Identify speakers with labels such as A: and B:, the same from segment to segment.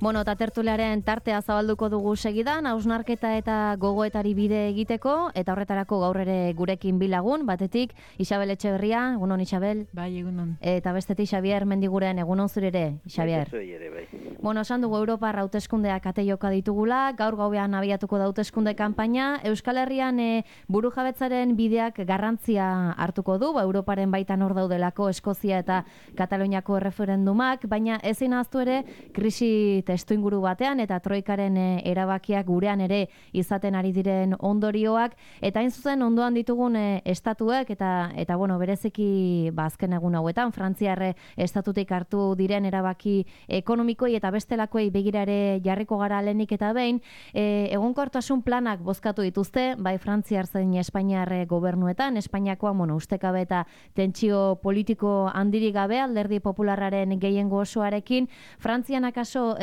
A: Bueno, eta tertuliaren tartea zabalduko dugu segidan, hausnarketa eta gogoetari bide egiteko, eta horretarako gaur ere gurekin bilagun, batetik Isabel Etxeberria, egunon Isabel.
B: Bai, egunon.
A: Eta bestetik Xabier Mendiguren, egunon zurere, Xabier.
C: Bai.
A: Bueno, esan dugu Europar hauteskundeak ate joka ditugula, gaur gauean abiatuko da hauteskunde kanpaina, Euskal Herrian burujabetzaren bideak garrantzia hartuko du, Europaren baitan hor daudelako Eskozia eta Kataluniako referendumak, baina ezin ahaztu ere krisi testuinguru batean eta troikaren erabakiak gurean ere izaten ari diren ondorioak, eta hain zuzen ondoan ditugun estatuek eta bueno, bereziki azken egun hauetan Frantziar estatutik hartu diren erabaki ekonomikoi eta bestelakoei begira ere jarriko gara lehenik eta behin, egonkortasun planak bozkatu dituzte, bai Frantziar zein Espainiar gobernuetan, Espainiakoa ustekabe eta tentsio politiko handirik gabe Alderdi Popularraren gehiengo osoarekin, Frantzian akaso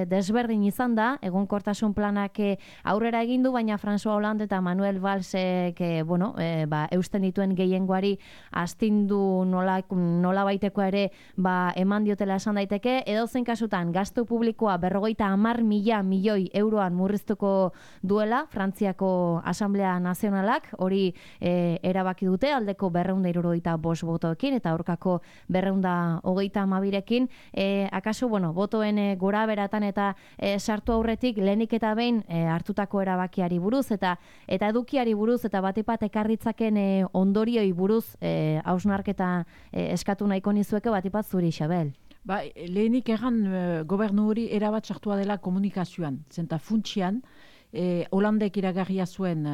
A: desberdin izan da, egonkortasun planak aurrera egin du, baina François Hollande eta Manuel Vallsek eusten dituen gehiengoari astindu nola baitekoa ere eman diotela esan daiteke, edozein kasutan gastu publikoa 50.000 milioi euroan murriztuko duela Frantziako Asamblea Nazionalak, hori erabaki dute, aldeko 275 botoekin eta aurkako 232rekin, akaso, botoen gora beratan eta sartu aurretik lehenik eta behin hartutako erabakiari buruz eta edukiari buruz eta batipat ekarritzaken ondorioi buruz hausnarketa eskatu nahiko nizueke batipat zuri, Isabel.
B: Lehenik egan gobernu hori erabat sartua dela komunikazioan, zenta funtsian Holandek iragarria zuen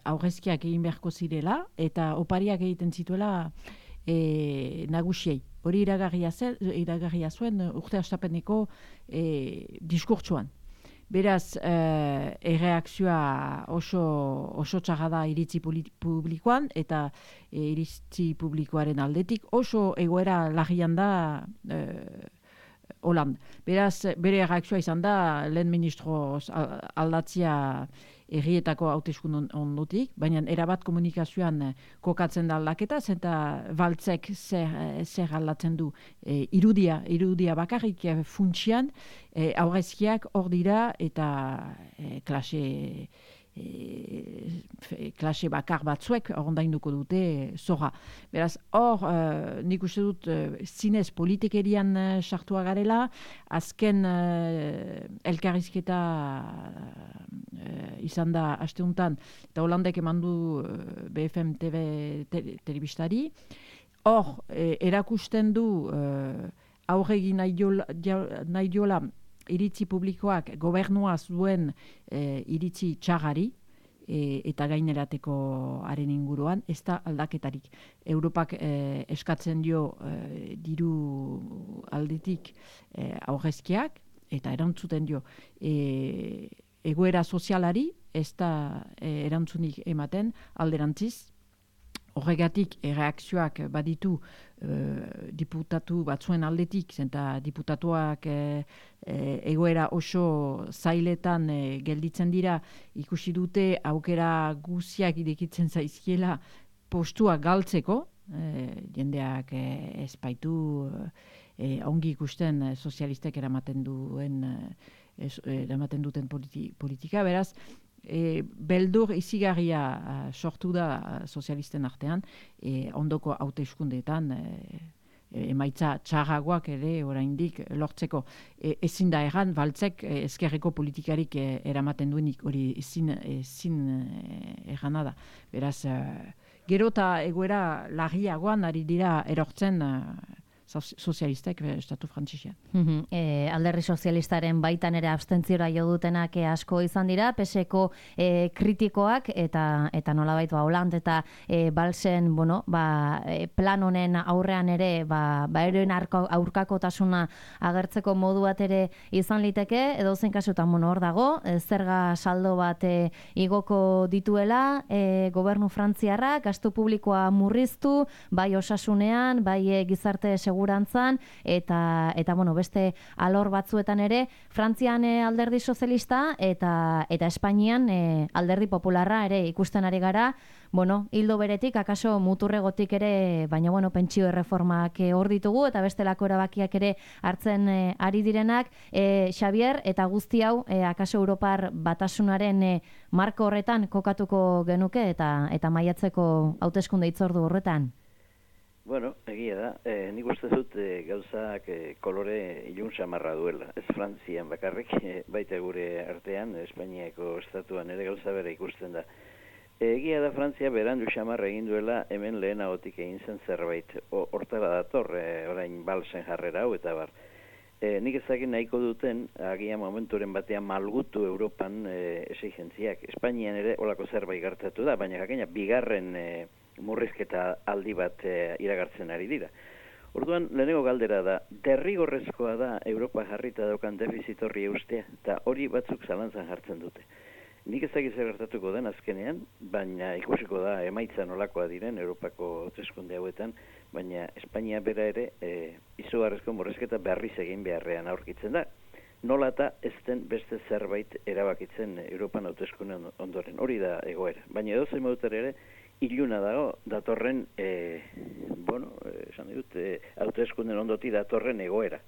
B: aurrezkiak egin beharko zirela eta opariak egiten zituela nagusiei. Hori iragarria zuen urte astapeneko diskurtsuan. Beraz, erreakzioa oso txarra da iritzi publikoan eta iritzi publikoaren aldetik oso egoera larrian da Hollande. Beraz, bere erreakzioa izan da lehen ministro aldatzia herrietako hauteskun ondotik, baina erabat komunikazioan kokatzen da aldaketa, zenta Valtzek zer aldatzen du irudia bakarrik funtsian, aurrezkiak hor dira eta klase bakar batzuek ordainduko dute zorra. Beraz, hor, nik uste dut zinez politikerian sartua garela, azken elkarrizketa izan da asteuntan, eta Holandek eman du BFM TV telebistari, hor, erakusten du aurregi nahi diola iritzi publikoak gobernua zuen iritzi txagari eta gainerateko haren inguruan, ez da aldaketarik. Europak eskatzen dio diru aldetik aurrezkiak eta erantzuten dio egoera sozialari, ez da erantzunik ematen alderantziz. Horregatik erreakzioak baditu diputatu batzuen aldetik, zenta diputatuak egoera oso zailetan gelditzen dira, ikusi dute aukera guziak irekitzen zaizkiela postua galtzeko, jendeak ez baitu ongi ikusten sozialistek eramaten duten politika, beraz, beldur izigarria sortu da sozialisten artean, ondoko hauteskundeetan emaitza txarragoak ere oraindik lortzeko. Ezin da erran, Valtzek ezkerreko politikarik eramaten duenik, hori ezin errana da. Beraz, gero eta egoera larriagoan ari dira erortzen sozialistek estatu frantzisean.
A: Alderdi sozialistaren baitan ere abstentziora jo dutenak asko izan dira, PSeko kritikoak eta nolabait Hollande eta Valsen plan honen aurrean ere eroen aurkakotasuna agertzeko modu bat ere izan liteke, edozein kasutan hor dago, zerga saldo bat igoko dituela gobernu frantziarrak, gastu publikoa murriztu, bai osasunean, bai gizarte segurantzan segurantzan, eta bueno, beste alor batzuetan ere, Frantzian alderdi sozialista eta Espainian alderdi popularra ere ikusten ari gara, bueno, hildo beretik, akaso muturregotik ere, baina bueno, pentsio erreformak hor ditugu, eta bestelako erabakiak ere hartzen ari direnak. Xabier, eta guzti hau, akaso Europar Batasunaren marko horretan kokatuko genuke, eta maiatzeko hauteskunde hitzordu horretan?
C: Bueno, egia da. Nik uste dut gauzak kolore ilun samarra duela. Ez Frantzian bakarrik, baita gure artean, Espainiako estatuan ere gauza bera ikusten da. Egia da Frantzia berandu xamarra egin duela hemen lehenagotik egin zen zerbait. Hortara dator, orain balsen jarrera hau eta bar. Nik ezakin nahiko duten, agian momenturen batean malgutu Europan esigentziak. Espainian ere olako zerbait gertatu da, baina jakina bigarren murrizketa aldi bat iragartzen ari dira. Orduan, lehenengo galdera da, derrigorrezkoa da Europa jarrita daukan defizit horri eustea, eta hori batzuk zalantzan jartzen dute. Nik ezagiz gertatuko den azkenean, baina ikusiko da emaitza nolakoa diren Europako hauteskunde hauetan, baina Espainia bera ere izugarrizko murrizketa berriz egin beharrean aurkitzen da. Nola eta ez den beste zerbait erabakitzen Europan hauteskunde ondoren. Hori da egoera. Baina edozein modutera ere, iluna dago datorren, esan dut, hauteskunden ondoti datorren egoera.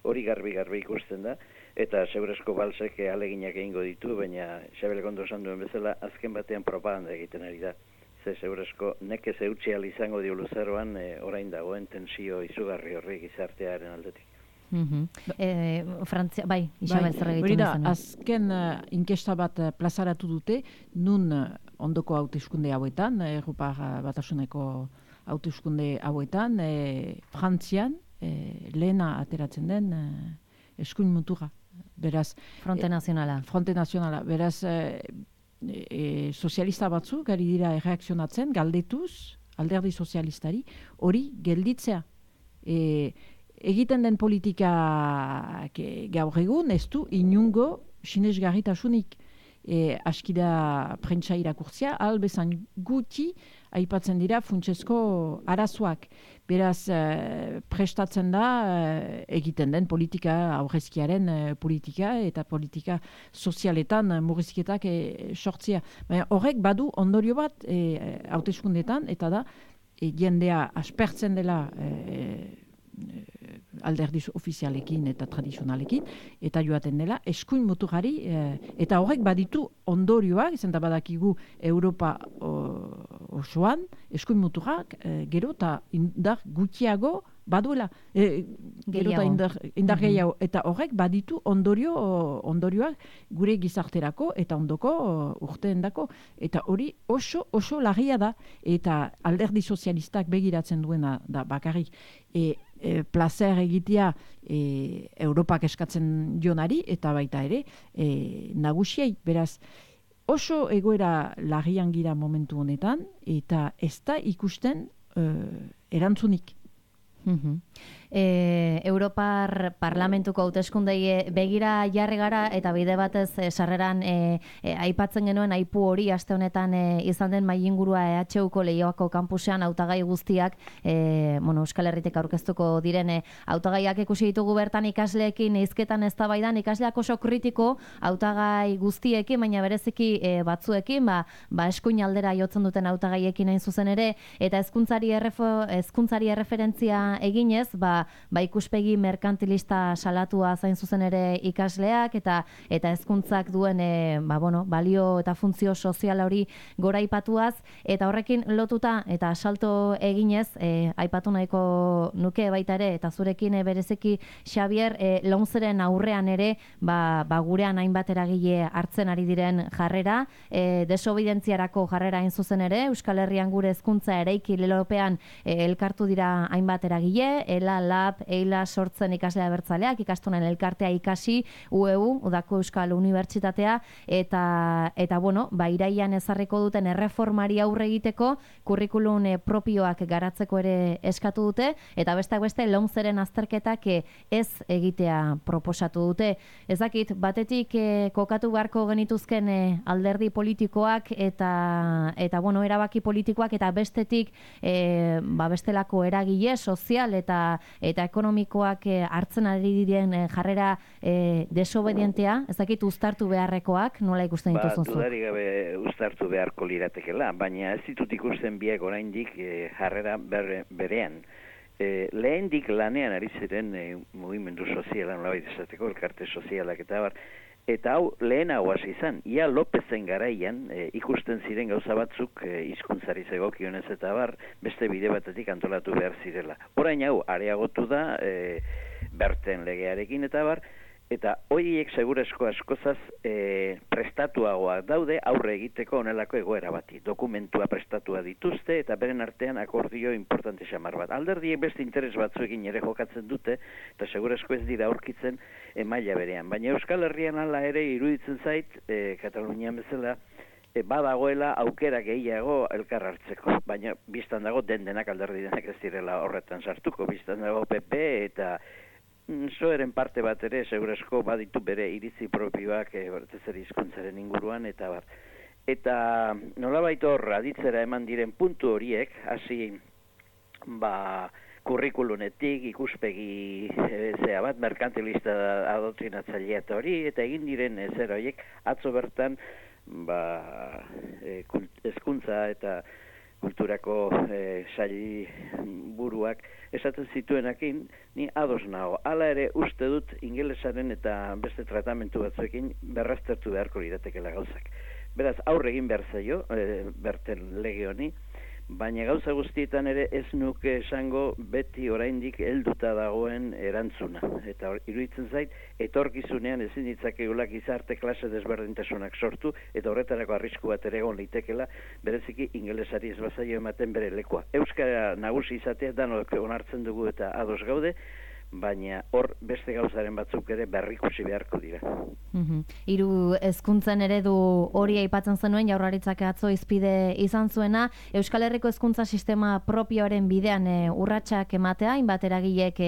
C: Hori garbi ikusten da, eta segurezko balsek aleginak egingo ditu, baina Xabelek ondo esan duen bezala, azken batean propaganda egiten ari da. Ze segurezko nekez eutxial izango dio luzaroan, orain dagoen tensio izugarri horri gizartearen aldetik.
A: Frantzia, bai, Isabel zer egiten
B: izan. Azken inkesta bat plazaratu dute, nun ondoko hauteskunde hauetan, Europa Batasuneko hauteskunde hauetan, Frantzian, lehena ateratzen den eskuin mutura. Beraz,
A: Fronte Nazionala.
B: Beraz, sozialista batzuk ari dira erreakzionatzen, galdetuz, alderdi sozialistari, hori gelditzea. Egiten den politika gaur egun, ez du inungo sinesgarritasunik. Askida prentsa irakurtzea, albezan guti aipatzen dira funtsezko arazoak. Beraz, prestatzen da egiten den politika, aurrezkiaren politika eta politika sozialetan murrizketak sortzea. Baina horrek badu ondorio bat hauteskundetan, eta da jendea aspertzen dela alderdi ofizialekin eta tradizionalekin, eta joaten dela eskuin muturari, eta horrek baditu ondorioak, izan da badakigu Europa osoan, eskuin muturak gero eta indar gutxiago baduela, gero eta indar gehiago, eta horrek baditu ondorioak gure gizarterako eta ondoko urteendako, eta hori oso larria da, eta alderdi sozialistak begiratzen duena da bakarrik, placer egitea Europak eskatzen jonari, eta baita ere nagusiei, beraz, oso egoera larrian gira momentu honetan, eta ez da ikusten erantzunik.
A: Europar Parlamentuko hauteskundei begira jarri gara, eta bide batez sarreran aipatzen genuen aipu hori aste honetan izan den mailingurua EHUko Leioako kanpusean hautagai guztiak Euskal Herritik aurkeztuko diren hautagaiak ikusi ditugu bertan ikasleekin hizketan eztabaidan, ikasleak oso kritiko hautagai guztiekin, baina bereziki batzuekin, eskuin aldera jotzen duten hautagaiekin hain zuzen ere, eta hezkuntzari erreferentzia eginez, ikuspegi merkantilista salatua zain zuzen ere ikasleak, eta hezkuntzak duen balio eta funtzio soziala hori gora aipatuaz, eta horrekin lotuta eta salto eginez, aipatu nahiko nuke baita ere, eta zurekin bereziki Xabier, Lomceren aurrean ere, gurean hainbat eragile hartzen ari diren jarrera, desobidentziarako jarrera hain zuzen ere, Euskal Herrian gure hezkuntza eraiki lelopean elkartu dira hainbat eragile, Lab, Eila sortzen ikaslea bertzaleak, ikastonen elkartea ikasi, UEU, Udako Euskal Unibertsitatea, eta iraian ezarriko duten erreformari aurre egiteko, kurrikulum propioak garatzeko ere eskatu dute, eta besteak beste Lomceren azterketak ez egitea proposatu dute. Ez dakit, batetik kokatu beharko genituzken alderdi politikoak eta erabaki politikoak, eta bestetik bestelako eragile sozial eta eta ekonomikoak hartzen ari diren jarrera desobedientea, ez dakit uztartu beharrekoak, nola ikusten dituzun zuk?
C: Dudarik gabe uztartu beharko liratekela, baina ez ditut ikusten biak oraindik jarrera berean. Lehendik lanean ari ziren mugimendu sozialan nolabait esateko, elkarte sozialak eta bar, eta hau lehenago hasi izan. Ia Lopezen garaian ikusten ziren gauza batzuk hizkuntzari zegokionez eta bar, beste bide batetik antolatu behar zirela. Orain hau areagotu da Berten legearekin eta bar, eta horiek segurazko askozaz prestatuagoak daude aurre egiteko onelako egoera bati. Dokumentua prestatua dituzte eta beren artean akordio importante xamar bat. Alderdiek beste interes batzuekin ere jokatzen dute eta segurazko ez dira aurkitzen maila berean. Baina Euskal Herrian hala ere iruditzen zait, Katalunian bezala, badagoela aukera gehiago elkar hartzeko. Baina biztan dago denak alderdi denak ez direla horretan sartuko. Biztan dago PP eta Soeren parte bat ere, segurazko baditu bere iritzi propioak bertezeri hizkuntzaren inguruan, eta bar. Eta nolabait hor aditzera eman diren puntu horiek, hasi kurrikulunetik, ikuspegi bat, merkantilista adoktrinatzailea eta hori, eta egin diren zer horiek, atzo bertan hezkuntza eta kulturako sail buruak esaten zituenakin, ni ados nago. Hala ere uste dut ingelesaren eta beste tratamentu batzuekin berraztertu beharko liratekela gauzak. Beraz, aurre egin behar zaio, Berten lege honi, baina gauza guztietan ere ez nuke esango beti oraindik helduta dagoen erantzuna. Eta iruditzen zait, etorkizunean ezin ditzakeula gizarte klase desberdintasunak sortu, eta horretarako arrisku bat ere egon litekela, bereziki ingelesari ez bazaio ematen bere lekua. Euskara nagusi izatea danok onartzen dugu eta ados gaude, baina hor beste gauzaren batzuk ere berrikusi beharko dira.
A: Hiru hezkuntzen eredu hori aipatzen zenuen Jaurlaritzak atzo hizpide izan zuena, Euskal Herriko hezkuntza sistema propioaren bidean urratsak ematea, hainbat eragilek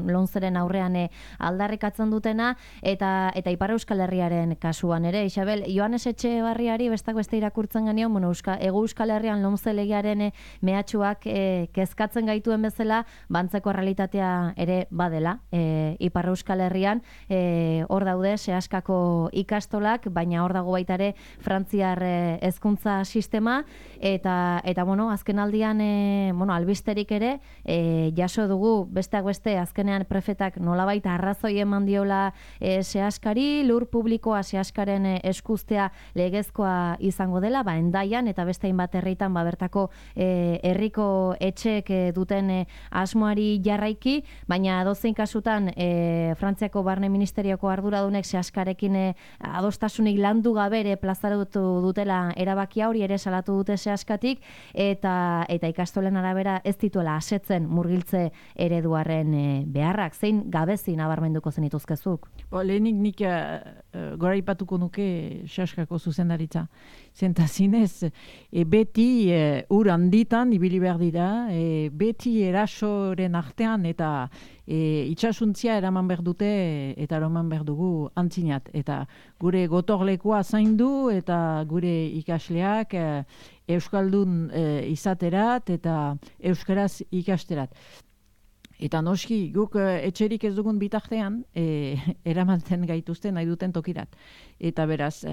A: lomceren aurrean aldarrikatzen dutena, eta Ipar Euskal Herriaren kasuan ere, Isabel, Joanes Etxebarriari bestak beste irakurtzen genion, Hego Euskal Herrian lomce legearen mehatxuak kezkatzen gaituen bezala, bantzeko realitatea ere bade Ipar Euskal Herrian hor daude sehaskako ikastolak, baina hor dago baita ere frantziar hezkuntza sistema eta azken aldian albisterik ere jaso dugu besteak beste azkenean prefetak nolabait arrazoi eman diola sehaskari, lur publikoa sehaskaren eskuztea legezkoa izango dela, Hendaian eta beste hainbat herritan bertako herriko etxeek duten asmoari jarraiki, baina dozein kasutan Frantziako Barne Ministerioko arduradunek sehaskarekin adostasunik landu gabere plazaratu dutela erabakia hori ere salatu dute sehaskatik eta ikastolen arabera ez dituela asetzen murgiltze ereduaren beharrak. Zein gabezi nabarmenduko zenituzkezuk?
B: Lehenik nik goraipatuko nuke sehaskako zuzendaritza. Zentazinez, beti ur handitan ibili behar dira, beti erasoren artean eta itxasuntzia eraman behar dute eta eraman behar dugu antzinat. Eta gure gotorlekoa zaindu eta gure ikasleak euskaldun izaterat eta euskaraz ikasterat. Eta noski, guk etxerik ez dugun bitartean eramantzen gaituzten nahi duten tokirat. Eta beraz,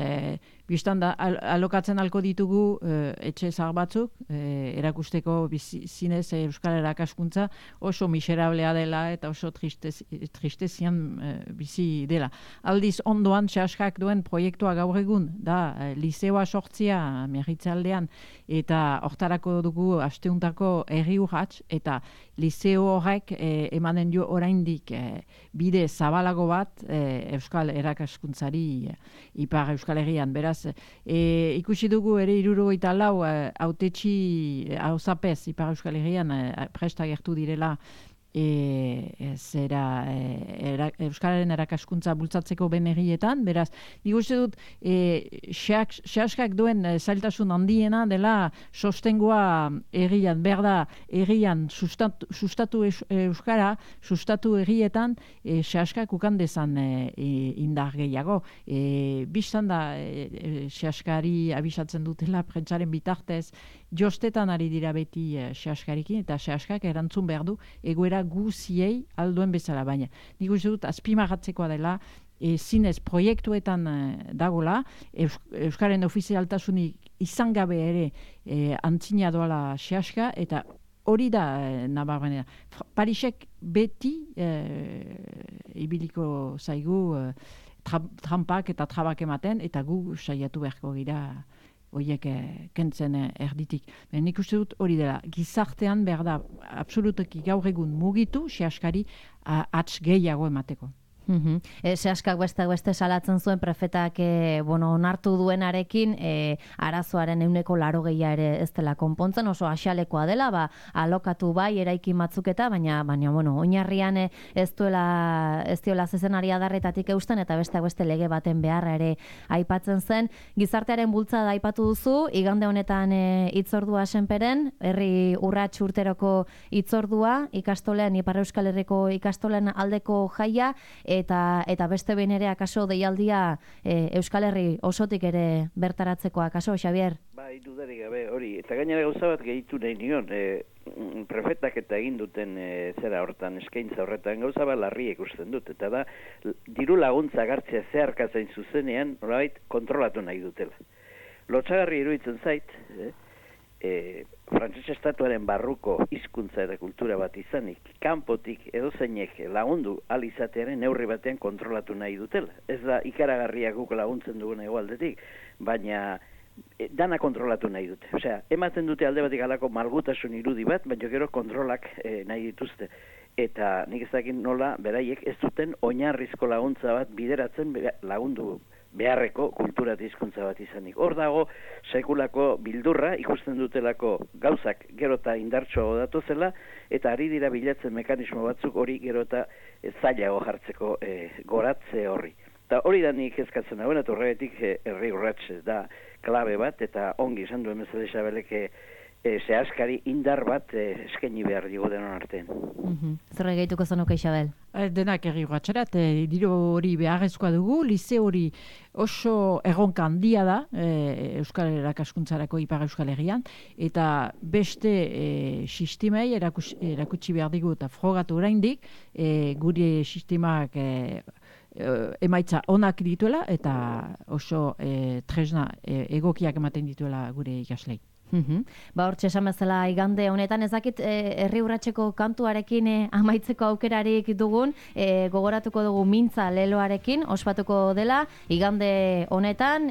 B: biztan da, alokatzen alko ditugu etxe zahar batzuk, erakusteko zinez euskal erakaskuntza oso miserablea dela eta oso tristezian bizi dela. Aldiz ondoan, sehaskak duen proiektua gaur egun, da, liseoa sortzia Miarritzaldean, eta hortarako dugu asteuntako herri urrats, eta liseo horrek emanen dio oraindik bide zabalago bat euskal erakaskuntzari Ipar Euskal Herrian. Beraz, ikusi dugu ere 74 hautetsi hauzapez Ipar Euskal Herrian presta gertu direla euskararen erakaskuntza bultzatzeko benerrietan, beraz, nik uste dut sehaskak duen zailtasun handiena dela sostengoa herrian, behar da herrian sustatu euskara, sustatu herrietan sehaskak ukan dezan indar gehiago. Bistan da sehaskari abisatzen dutela prentsaren bitartez, jostetan ari dira beti sehaskarikin, eta sehaskak erantzun behar du egoera guziei alduen bezala, baina nik uste dut azpimarratzekoa dela, zinez proiektuetan dagola, Euskaren ofizialtasunik izan gabe ere antzina doala sehaska, eta hori da nabarmenera. Parisek beti ibiliko zaigu trampak eta trabak ematen, eta gu saiatu beharko gira horiek kentzen erditik. Nik uste dut hori dela, gizartean behar da absolutoki gaur egun mugitu sehaskari atz gehiago emateko.
A: Sehaskak beste salatzen zuen prefetak onartu duenarekin arazoaren 80% ere ez dela konpontzen, oso axalekoa dela, alokatu bai eraikin batzuketa, baina oinarrian ez diola zezenari adarretatik eusten, eta beste lege baten beharra ere aipatzen zen. Gizartearen bultzada aipatu duzu, igande honetan hitzordua Senperen, herri urrats urteroko hitzordua, ikastolen, Ipar Euskal Herriko ikastolen aldeko jaia, eta beste behin ere akaso deialdia Euskal Herri osotik ere bertaratzeko akaso, Xabier?
C: Bai, dudarik gabe hori. Eta gainera gauza bat gehitu nahi nion, prefetak eta egin duten zera hortan, eskaintza horretan gauza bat larri ikusten dut. Eta da, diru laguntza gartzea zeharkatzen zuzenean, nolabait kontrolatu nahi dutela. Lotsagarri iruditzen zait, Frantses estatuaren barruko hizkuntza eta kultura bat izanik, kanpotik edozeinek lagundu alizatearen neurri batean kontrolatu nahi dutela. Ez da ikaragarria guk laguntzen dugun egoaldetik, baina dana kontrolatu nahi dute. Osea, ematen dute alde batik alako malgutasun irudi bat, baina gero kontrolak nahi dituzte. Eta nik ez dakit nola beraiek ez duten oinarrizko laguntza bat bideratzen lagundu beharreko kultura eta hizkuntza bat izanik. Hor dago sekulako bildurra ikusten dutelako gauzak gero eta indartsuago datozela, eta ari dira bilatzen mekanismo batzuk hori gero eta zailago jartzeko goratze horri. Eta hori da nik eskatzen hauen, eta horretik herri urrats da klabe bat, eta ongi esan duen bezala Isabelek zehaskari indar bat eskaini behar digu denon artean.
A: Zer gehituko zenuke, Isabel?
B: Denak herri urratsarat, diru hori beharrezkoa dugu, lize hori oso erronka handia da Euskal Erakaskuntzarako Ipar Euskal Herrian, eta beste sistemei erakutsi behar digu eta frogatu oraindik gure sistemak emaitza onak dituela eta oso tresna egokiak ematen dituela gure ikaslei.
A: Hortxe esan bezala igande honetan, ez dakit herri urratseko kantuarekin amaitzeko aukerarik dugun, gogoratuko dugu mintza leloarekin, ospatuko dela, igande honetan,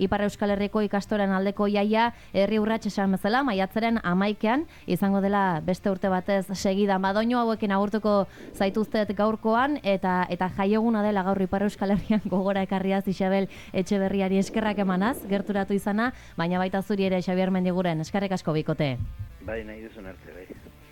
A: Ipar Euskal Herriko ikastoren aldeko jaia herri urrats esan bezala, maiatzaren 11ean, izango dela beste urte batez segida. Madoinu hauekin agurtuko zaituztet gaurkoan, eta jaieguna dela gaur Ipar Euskal Herrian gogora ekarriaz Isabel Etxeberriari eskerrak emanaz, gerturatu izana, baina baita zuri ere Xabier Mendiguren, eskerrik asko bikote.
C: Bai, nahi duzun arte, bai.